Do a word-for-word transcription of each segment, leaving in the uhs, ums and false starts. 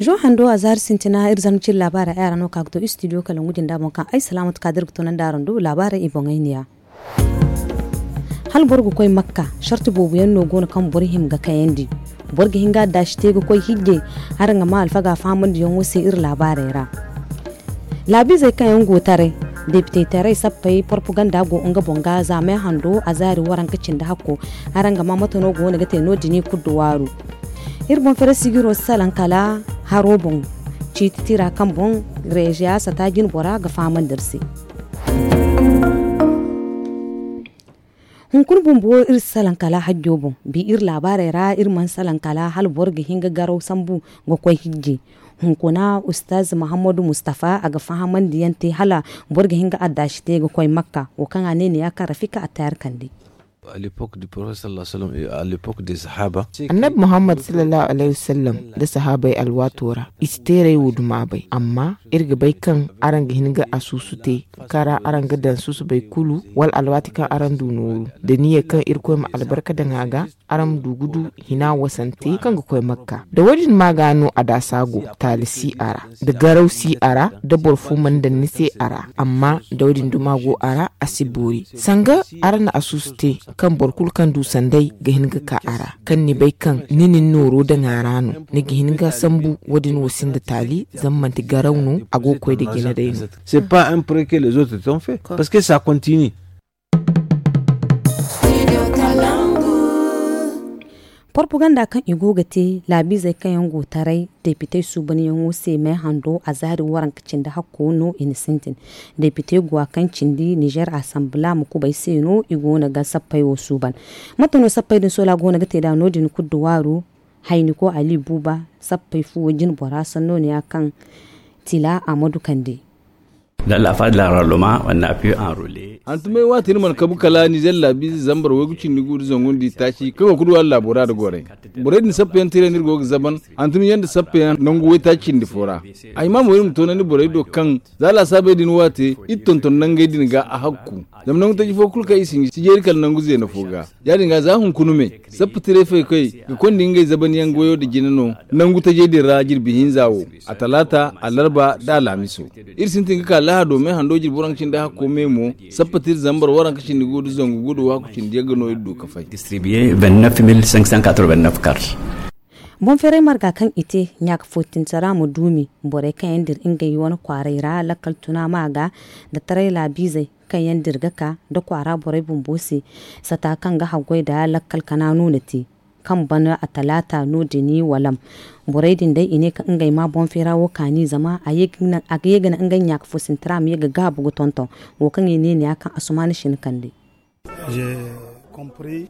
Hando a zaari sintina iri zarma cire laabaarey ay ra no ka ga to istidiyo kala ngu jinda boŋ kaŋ ay salaamatu ka da iri ga tunandi araŋ do laabaarey i boŋey niya. Hala boro ga koy makka, sarti boobo yaŋ no go no kaŋ boro hima ga kayandi. Boro ga hin ga addaasi te ga koy hijje. Araŋ ga ma alfaga fahamandiyaŋo se iri laabaarey ra. Laabiizey kaŋ yaŋ go taray, depite taray sappey porpaganda go nga boŋ ga zaamay hando a zaari waranka cindi hakko. Araŋ ga ma mate no go no ga te no- din i kulu da waaru. Iri boŋ fere sigiro si salaŋ kala haro boŋ ciiti tira kaŋ boŋ reeziya sata jine bora ga fahamandi iri se. Hunkuna bumbo iri si salaŋ kala hajjo boŋ bi iri laabaarey ra iri mana salaŋ kala hala boro ga hin ga garaw sambu ga koy hijje. Hunkuna ustaz muhammadu mustafa a ga fahamandi yaŋ te hala boro ga hin ga addaasi te ga koy makka wo kaŋ a ne ne ya kaŋ rafika attaari kande. Annabi muhammad sallallahu alaihi wasallam da sahaabey alwaato ra i si teeray wo duma bay amma iri ga bay kaŋ araŋ ga hin ga asuusu te kaŋ ra araŋ ga daŋ susubay kulu wala alwaati kaŋ araŋ du nooru da niyya kaŋ irkoy ma albarka daŋ a ga araŋ ma du ga du hina wasante kaŋ ga koy makka da wo- din ma ga no a daasa go taali si a ra da garaw si a ra da boro fo mana daŋ ni se a ra amma da wo- din duma go a ra a si boori sanga araŋ na asuusu te kaŋ boro kulu kaŋ du sanday ga hin ga ka a ra kaŋ ni bay kaŋ ni na ni nooro daŋ a ra no ni ga hin ga sambu wo- din wo sinda taali zama manti garaw no a go ga koy nda jina day no. C'est pas un prêt que les autres t'ont fait parce que ça continue. Porpaganda kaŋ i go ga te laabiizey kaŋ yaŋ go taray depitey suubanyaŋo se me hando a zaari waranka cindi hakko no i na sintin. Depitey guwa kaŋ cindi nizer asambila ma kubay se no i go no ga sappey wo suuban. Mate no sappey din sola go no ga te nd'a no- din kulu da waaru. Hayniko ali buuba sappey fuwo jine bora sanno ne ya kaŋ tila a ma du kande. Dans la phase de l'enrôlement on a pu enrôler. Hantumey waati iri mana kabu kala nizer laabiize zambar waygu cindi gu nda zangu nda itaaci kaŋ go ga du hala laabo ra nda gorey. Borey din sappeyaŋ tira no iri go ga zaban hantumyaŋ nda sappeyaŋ nangu waytaaci cindi fo ra. Ay ma mo iri ma toonandi borey do kaŋ za laasaabey din waate iri tonton nangey din ga a hakku. Zama nangu taji fo kulu kaŋ i si hin ga si jeeri kala nangu zeena fo ga ya- din ga za hunkuna me sappa tiray faykey ga konda ngey zabanyaŋ goyo nda jina no nangu tajey din ra jirbi hinza wo. A talaata alarba nda alaamiso iri sintin ga ka lahado me hando jirbi waranka cindi hakko me mo. Sappa tira zambar waranka cindi gu nda zangu gu nda waaku cindi yagga no iri du ga fay. Distribuer vingt-neuf mille cinq cent quatre-vingt-neuf cartes. Boŋ feeray marga kaŋ i te ɲaaka footinta ra ma duumi borey kaŋ yaŋ dira ngey wane kwaaray ra lakkal tuna ma ga nda taray laabiizey kaŋ yaŋ dira ga ka nda kwaara borey bumbo se. Sata kaŋ ga haggoy nda lakkal kana no na te kaŋ bana a talaata no- din walam. Borey din day i ne kaŋ ngey ma boŋ feera wo kaani zama a ga ye ga naŋ ngey ɲaaka foosinta ra ma ye ga gaabu ga tonton wo kaŋ i ne ne ya kaŋ asumaana sina kande.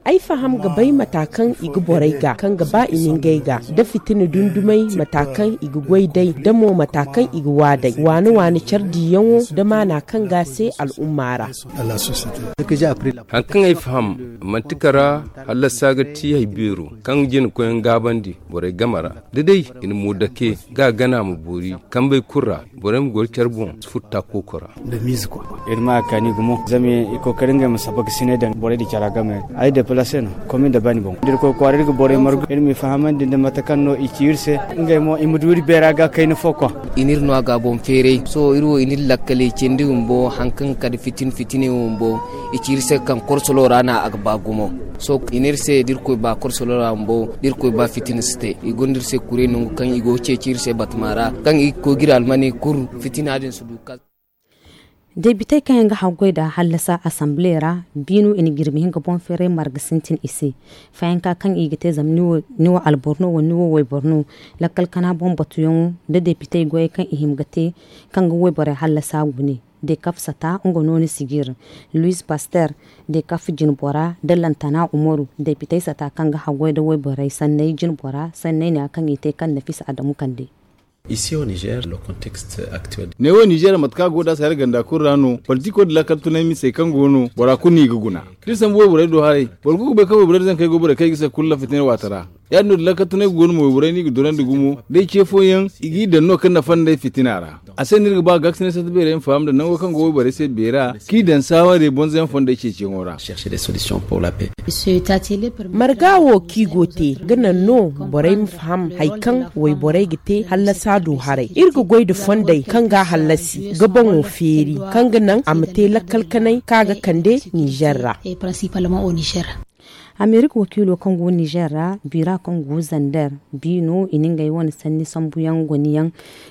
Ay faham ga bay mata kaŋ i ga borey ga kaŋ ga ba i na ngey ga da fitina dundumay mata kaŋ i ga goy day da mo mata kaŋ i ga waa day waana waana care diiyaŋo da maana kaŋ ga a se al'umma ra. Hari kaŋ ay faham manti kara hallasa ga ti hari beero kaŋ jina koyyaŋ gaabandi borey game ra da day i na mo dake ga a gana ma boori kambey kulu ra borey ma goro care boŋ si furo taako koora. Iri ma a kaani gumo zama i kookari ngey ma saba ga sinay daŋ borey din cara game ra ay deplase no komin da bani boŋ da iri koy kwaara iri ga borey margu iri m'i fahamandi nda mate kaŋ no i ci iri se ngey mo i ma du iri beera ga kayna fo kwa. I n'iri no a ga boŋ feeray sohõ iri wo i n'iri lakkaley cindi bumbo hari kaŋ ga kande fitina fitiney wo bumbo i ci iri se kaŋ korsolo ra no a ga ba gumo. Sohõ i n'iri se da iri koy ba korsolo ra bumbo da iri koy ba fitina si te i gonda iri se kuray nangu kaŋ i go ga ceeci iri se batama ra kaŋ i ga koy ga iri almaney kuru fitina din si du kal. Debitey kaŋ yaŋ ga haggoy nda hallasa asamble ra biino i na jirbi hinka boŋ feeray marga sintin i se. Fayanka kaŋ i ga te zama ni wo alboro no wala ni wo wayboro no. Lakkal kana boŋ batuyaŋo nda debitey goyey kaŋ i hima ga te kaŋ ga wayborey hallasa gune. Dekaf sata nga no ni sijir luis paster dekaf jinbora nda lantana umaru debitey sata kaŋ ga haggoy nda wayborey sanney jinbora sanney ne ya kaŋ i te kaŋ nafisa adamu kande. Neewo nizeer mate kaŋ a go nd'a se hari ganda kulu ra no politiko nda laakal tunay misey kaŋ go no bora kulu no i ga guna. Da iri sambu wayborey do haray boro kulu ga bay kaŋ wayborey da zankey go borey kaŋ i ga se kulu lafitinay waate ra. Ya- din no da lakkatunay go no mo wayborey no i ga durandi gumo da i ce fooyaŋ i g'i daŋ no kaŋ nafa nda ay fitina ra. A se no iri ga ba ga ga sina sata beerey ma faham nda nango kaŋ go wayborey se beera k'i daŋ saawarey bonzoyaŋ fondey ceeciyaŋo ra. Marga wo kaŋ i go te ga naŋ no borey ma faham hari kaŋ wayborey ga te hallasa du haray. Iri ga goy nda fondey kaŋ ga a hallasi ga boŋo feeri kaŋ ga naŋ a ma te lakkal kanay kaŋ a ga kande nizer ra. Amerik wakiilo kaŋ go nizer ra, bira kaŋ go zander, bi no i na ngey wane sanni sambuyaŋ goniyaŋ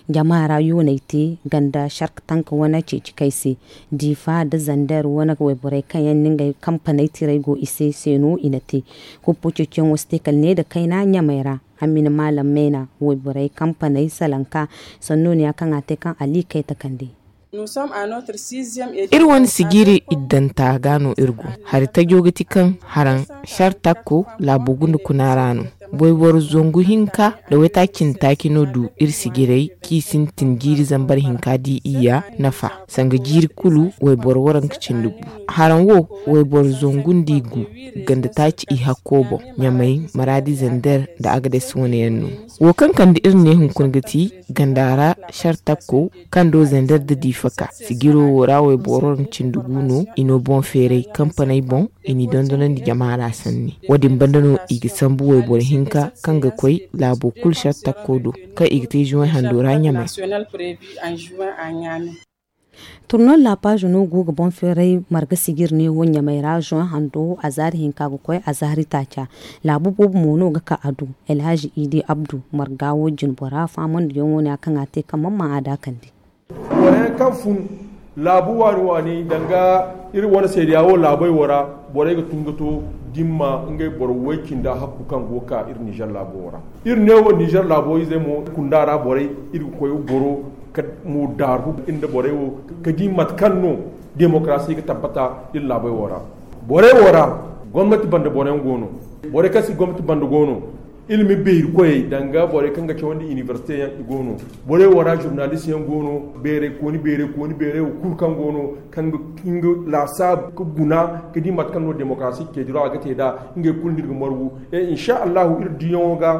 jama ra yooney te ganda shark tank wane ceeci kay se. Difa nda zander wane wayborey kaŋ yaŋ na ngey kampaney tirey go i se se no i na te. Huppo ceeciyaŋo si te kala ne nda kayna ɲamey ra. Amina maalam meena wayborey kampaney salanka sanno no ya kaŋ a te kaŋ ali kay takandi. Iri wane sijiri iddanta ga no iri go. Hari tajo ga ti kaŋ haraŋ shartakko laabo gunda kuna ra no. Wayboro zangu hinka nda waytaaci cindi taaci no du iri sijirey kaŋ i sintin jiiri zambar hinka di iyya nafa. Sanga jiiri kulu wayboro waranka cindi gu. Haraŋ wo wayboro zangu nda i gu ganda taaci i hakko boŋ. Ɲamay maraadi zander nda agades wane yaŋ no. Wo kaŋ kande iri ne hunkuna ga ti ganda ra shartakko kaŋ do zander nda difa ka sijiro wo ra wayboro waranka cindi gu no i no boŋ feeray kampaney boŋ. I n'i dondonandi jama ra sanni. Wo- din banda no i ga sambu wayboro hinka kaŋ ga koy laabo kulu shartakko do kaŋ i ga te zuway hando ra ɲamay. Turnal la paazo no go ga boŋ feeray marga sijir ne wo ɲamay ra zuway hando azaari hinka ga koy azaari taaca. Laabu boobo mo no ga ka a du. Alhazi idi abdu marga wo jinbora faamandiyaŋo ne a kaŋ a te kaŋ mamma a daakandi. Borey kaŋ fun laabu waani waani danga iri wane seedeya wo laabey wo ra. Borey ga tun ga to dimma ngey boro woy cinda hakku kaŋ go ga ka iri nizer laabo wo ra. Iri ne wo nizer laabo izey mo kunda ra borey iri ga koy goro ka mo daaru iri nda borey wo ka di mate kaŋ no demokarasi ga tabbata iri laabey wo ra. Borey wo ra gomnati banda boroyaŋ go no. Borey kaŋ si gomnati banda go no. Ilimi beeri koyey danga borey kaŋ ga cawandi inibersite yaŋ i go no. Borey wo ra zurnalist yaŋ go no. Beerey kooni beerey kooni beerey wo kulu kaŋ go no kaŋ ga nga laasaabu ga guna ga di mate kaŋ no demokarasi ceediro a ga te nd'a. Ngey kulu no iri ga margu e insa allahu iri diyaŋo ga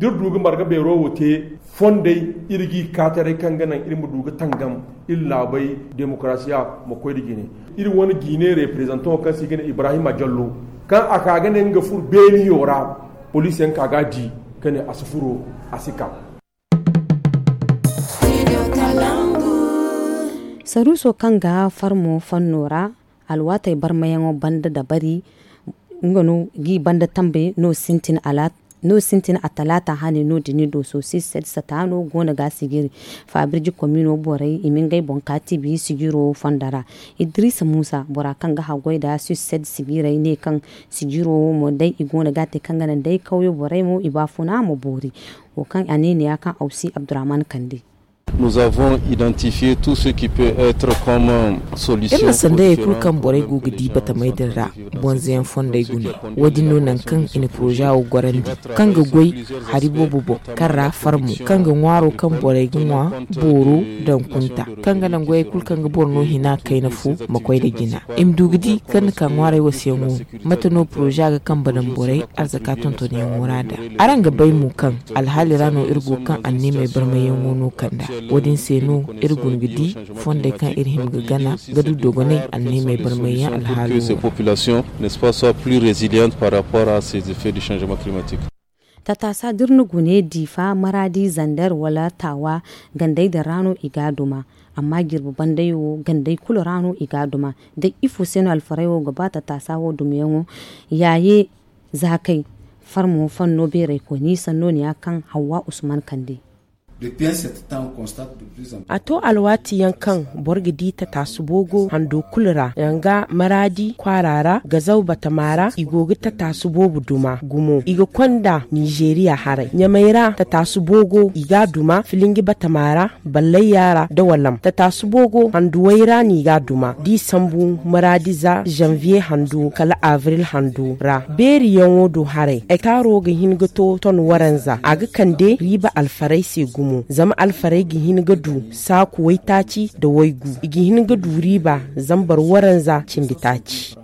da iri du ga marga beero wo te fondey iri g'i kaataray kaŋ ga naŋ iri ma du ga tangam iri laabey demokarasiya ma koy nda jine. Iri wane jiine reprezantaŋo kaŋ se i ga ne ibrahima jallo kaŋ a ka ga ne nga furo beeniyo ra. Poliisiyaŋ ka ga a di ka ne a si furo a si ka. Saruuso kaŋ ga farmo fanno ra alwaatey barmayaŋo banda dabari nga no g'i banda tambe no sintin alaata. No sintin a talaata hane no- din ni do so si sed sata no go no ga sijiri. Faabirji komino borey i ma ngey boŋ ka tibi sijiro fonda ra. Idrisa muusa bora kaŋ ga haggoy nda si sed sijirey ne kaŋ sijiro wo mo day i go no ga te kaŋ ga naŋ day kawyo borey mo i baafuna ma boori. Wo kaŋ a ne ne ya kaŋ awsi abdurahman kande. Iri na sandayey kulu kaŋ borey go ga di batamey din ra. Bonzoyaŋ fondey guna wo- din no nangu kaŋ i na poroza wo gorandi kaŋ ga goy hari boobo boŋ kaŋ ra farmo kaŋ ga ŋwaaro kaŋ borey ga ŋwa booro daŋ kunta kaŋ ga naŋ goyey kulu kaŋ ga boro no hina kayna fo ma koy nda jina. I ma du ga di kaŋ ni ka ŋwaarey wasayaŋo. Mate no poroza ga kambe daŋ borey arzaka tontonyaŋo ra nd'a? Araŋ ga bay mo kaŋ alhaali ra no iri go kaŋ anniimey barmayyaŋo no kand'a. Wo- din se no iri guna ga di fondey kaŋ iri hima ga gana ga du dogonay anniimey barmayyaŋ alhaalo ra. Tataasa da iri na gune diifa maraadi zander wala taawa gandey din ra no i ga a duma. Amma jirbi bandey wo gandey kulu ra no i ga a duma. Day ifo se no alfarey wo ga ba tataasa wo dumiyaŋo? Yaaye zaakey farmo fanno beerey kooni sanno ne ya kaŋ hawwa usman kande. A to alwaati yaŋ kaŋ boro ga di tataasu boogo hando kulu ra danga maraadi kwaara ra gazaw batama ra i go ga tataasu boobo duma gumo i ga konda nizeeriya haray ɲamay ra tataasu boogo i ga a duma filingi batama ra ballayya ra da walam tataasu boogo handuwey ra no i ga a duma da i sambu maraadi za zanviye hando kala avril hando ra beeriyaŋo do haray ektaaro ga hin ga to ton waranza a ga kande riiba alfaray se gumo zama alfaray ga hin ga du saaku waytaaci nda waygu i ga hin ga du riiba zambar waranza cindi taaci.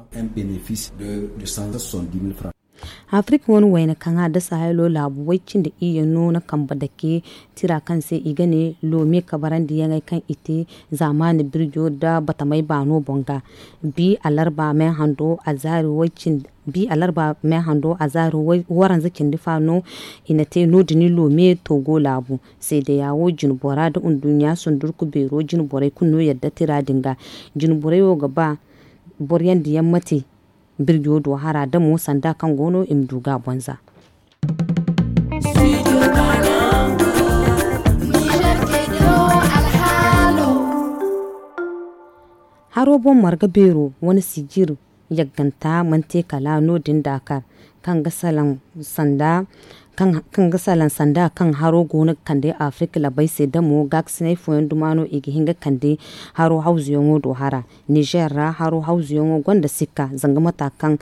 Afirka wane wayna kaŋ a dasa haylo laabu way cindi iyye no na kambe dake tira kaŋ se i ga ne loome kabarandiyaŋey kaŋ i te zaamaani birjo nda batamey baano boŋ ga. Bi alarba me hando azaari way cindi bi alarba me hando azaari waranza cindi fa no i na te no- din loome togo laabu. Seedeya wo jine bora nda nduɲɲa sundurku beero jine borey kulu no yadda tira din ga. Jine borey wo ga ba boro yaŋ da yaŋ mate birjo do hara damo sanda kaŋ go no i ma du ga bonza. Haro boŋ marga beero wane sijir yagganta mana te kala no- din daakar kaŋ ga salaŋ sanda kaŋ haro go no ga kande afirka labey se damo gaakasinay fooyaŋ duma no i ga hin ga kande haro hawzuyaŋo do hara. Nizer ra haro hawzuyaŋo gonda sikka zanga mata kaŋ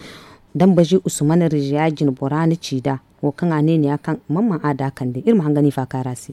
dambazi usman riziya jine bora na ci nd'a wo kaŋ a ne ni ya kaŋ mamman a da kande iri ma hanga ni faakaara se.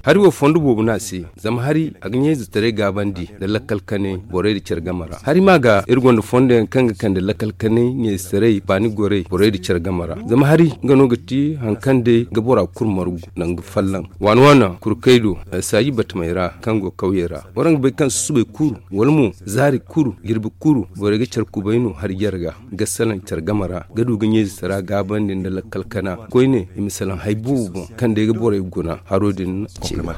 Hari wo fondo boobo no a se zama hari a ga ɲayzetaray gaabandi nda lakkal kanay borey nda care game ra hari ma ga iri gonda fondo yaŋ kaŋ ga kande lakkal kanay ɲayzetaray baani gorey borey nda care game ra zama hari nga no ga ti hari kaŋ day ga bora kulu margu nda nga folloŋ waana waana kurkey do saaji batamey ra kaŋ go kawyey ra waraŋ ga bay kaŋ susubay kulu wala mo zaari kulu jirbi kulu borey ga care kubay no hari jarga ga salaŋ care game ra ga du ga ɲayze tara gaabandi nda lakkal kana koyne i ma salaŋ hari boobo boŋ kaŋ day ga borey guna haro din. Ceeba.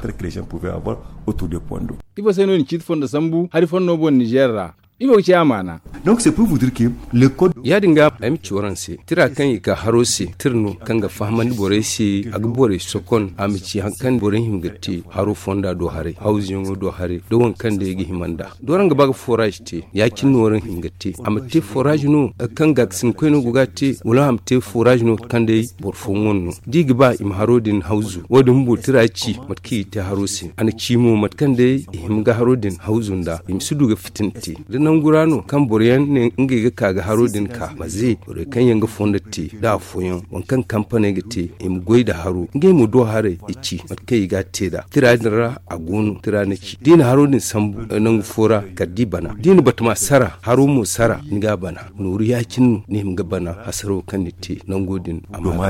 Ifo se no i na ciiti fondo sambu hari fondo boŋ nizer ra? Ifo ga ci a maana? Donc c'est pour vous dire que le code. Ya- din ga ay ma ci waraŋ se tira kaŋ i ka haro se tira no kaŋ ga fahamandi borey se a ga borey sokon a ma ci hari kaŋ borey hima ga te haro fonda do haray hawzuyaŋo do haray da waŋ kaŋ day ga hima nd'a da waraŋ ga ba ga foraaz te ya- cine no waraŋ hima ga te a ma te foraaz no kaŋ gaakasin koyne go ga a te wala a ma te foraaz no kaŋ day boro fooyaŋ wane no da i ga ba i ma haro din hawzu wo- din bumbo tira ci mate kaŋ i ga te haro se a na ci mo mate kaŋ day i hima ga haro din hawzu nd'a i ma si du ga fitina te da nangu ra no kaŋ boro yaŋ ne ngey ga ka ga haro din ka maze borey kaŋ yaŋ ga fondo te da afooyaŋ waŋ kaŋ kampaney ga te i ma goy nda haro ngey mo do haray i ci mate kaŋ i ga a te nd'a tira din ra a go no tira na ci da i na haro din sambu nangu fo ra kala da i bana da i na batama sara haro mo sara ni ga a bana nooru ya- cine no ni hima ga bana hasaro kaŋ ni te nango din a ma.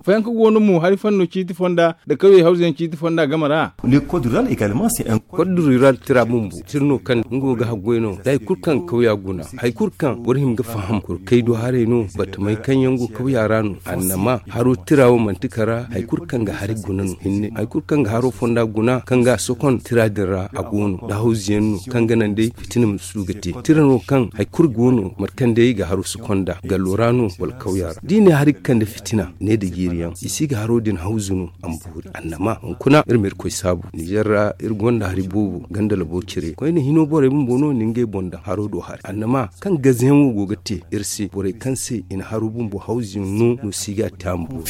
Fooyaŋ kaŋ go no mo hari fanno ciiti fonda nda kawyey hawzuyaŋ ciiti fonda game ra. Kod rural tira bumbo tira no kaŋ nga wo ga haggoy no da hari kulu kaŋ kawya guna hari kulu kaŋ boro hima ga faham kurkey do haray no batamey kaŋ yaŋ go kawya ra no annama haro tira wo manti kara hari kulu kaŋ ga hari guna no hinne hari kulu kaŋ ga haro fonda guna kaŋ ga a sokon tira din ra a go no da hawzuyaŋ no kaŋ ga naŋ day fitina ma si du ga te tira no kaŋ hari kulu go no mate kaŋ day ga haro sokon nd'a gallo ra no wala kawya ra da i ne hari ga kande fitina ne nda jiiri yaŋ i si ga haro din hawzu no a ma boori annama hunkuna iri ma irkoy saabu nizer ra iri gonda hari boobo ganda labo cire koyne hino borey bumbo no ni ngey boŋ daŋ haro do hari annama kaŋ gaze yaŋ wo go ga te iri se borey kaŋ se i na haro bumbo hawzu yaŋ no no si ga a te a ma boori.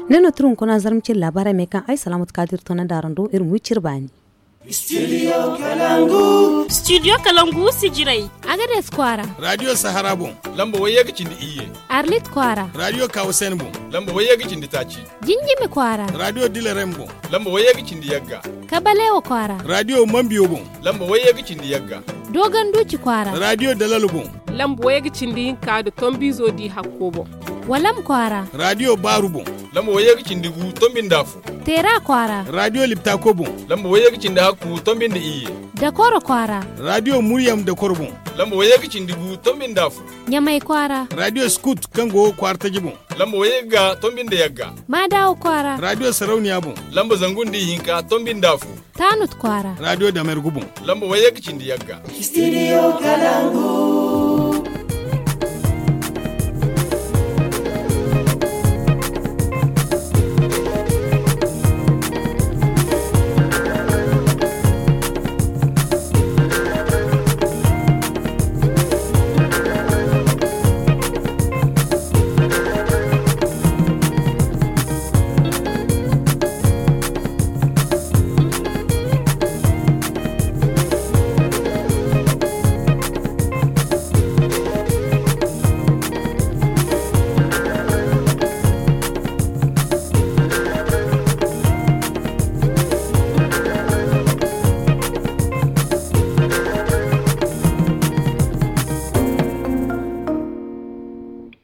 Ne no tira hunkuna zarma cire laabaarey me kaŋ ay salaamatu kaadir toonandi araŋ do iri ma wi cire baani. Studio kalangu sijirey. Agades kwaara. Radio sahara boŋ. Lamba wayye ga cindi iyye. Arlit kwaara. Radio kawasen boŋ. Lamba wayye ga cindi taaci. Jinjimi kwaara. Radio dilerem boŋ. Lamba wayye ga cindi yagga. Kabalewa kwaara. Radio mambiyo boŋ. Lamba wayye ga cindi yagga. Dogon duci kwaara. Radio dalalo boŋ. Lamba wayye ga cindi hinka nda tombizo di hakko boŋ. Walam kwaara. Radio baaru boŋ. Lamba wayye ga cindi gu tombi nda afo. Teera kwaara. Radio liptako boŋ. Lamba wayye ga cindi hakku tombi nda iyye. Dakoro kwaara. Radio muryam dakoro boŋ. Lamba wayye ga cindi gu tombi nda afo. Ɲamay kwaara. Radio skut kaŋ go kwaara taji boŋ. Lamba wayye ga tombi nda yagga. Maadawa kwaara. Radio sarauniya boŋ. Lamba zangu nda ihinka tombi nda afo. Taanut kwaara. Radio damergu boŋ. Lamba wayye ga cindi yagga. Studio kalangu.